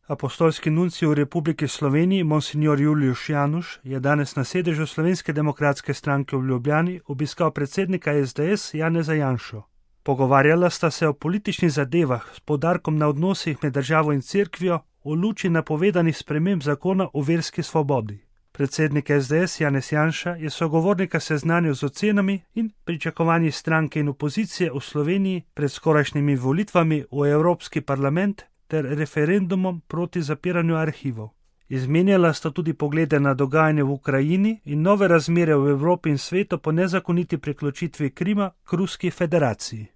Apostolski nuncij v Republiki Sloveniji, monsignor Julius Januš, je danes na sedežu Slovenske demokratske stranke v Ljubljani obiskal predsednika SDS Janeza Janšo. Pogovarjala sta se o političnih zadevah s poudarkom na odnosih med državo in cerkvijo v luči napovedanih sprememb zakona o verski svobodi. Predsednik SDS Janez Janša je sogovornika seznanil z ocenami in pričakovanji stranke in opozicije v Sloveniji pred skorajšnjimi volitvami v Evropski parlament ter referendumom proti zapiranju arhivov. Izmenjala sta tudi poglede na dogajanje v Ukrajini in nove razmere v Evropi in svetu po nezakoniti priključitvi Krima k Ruski federaciji.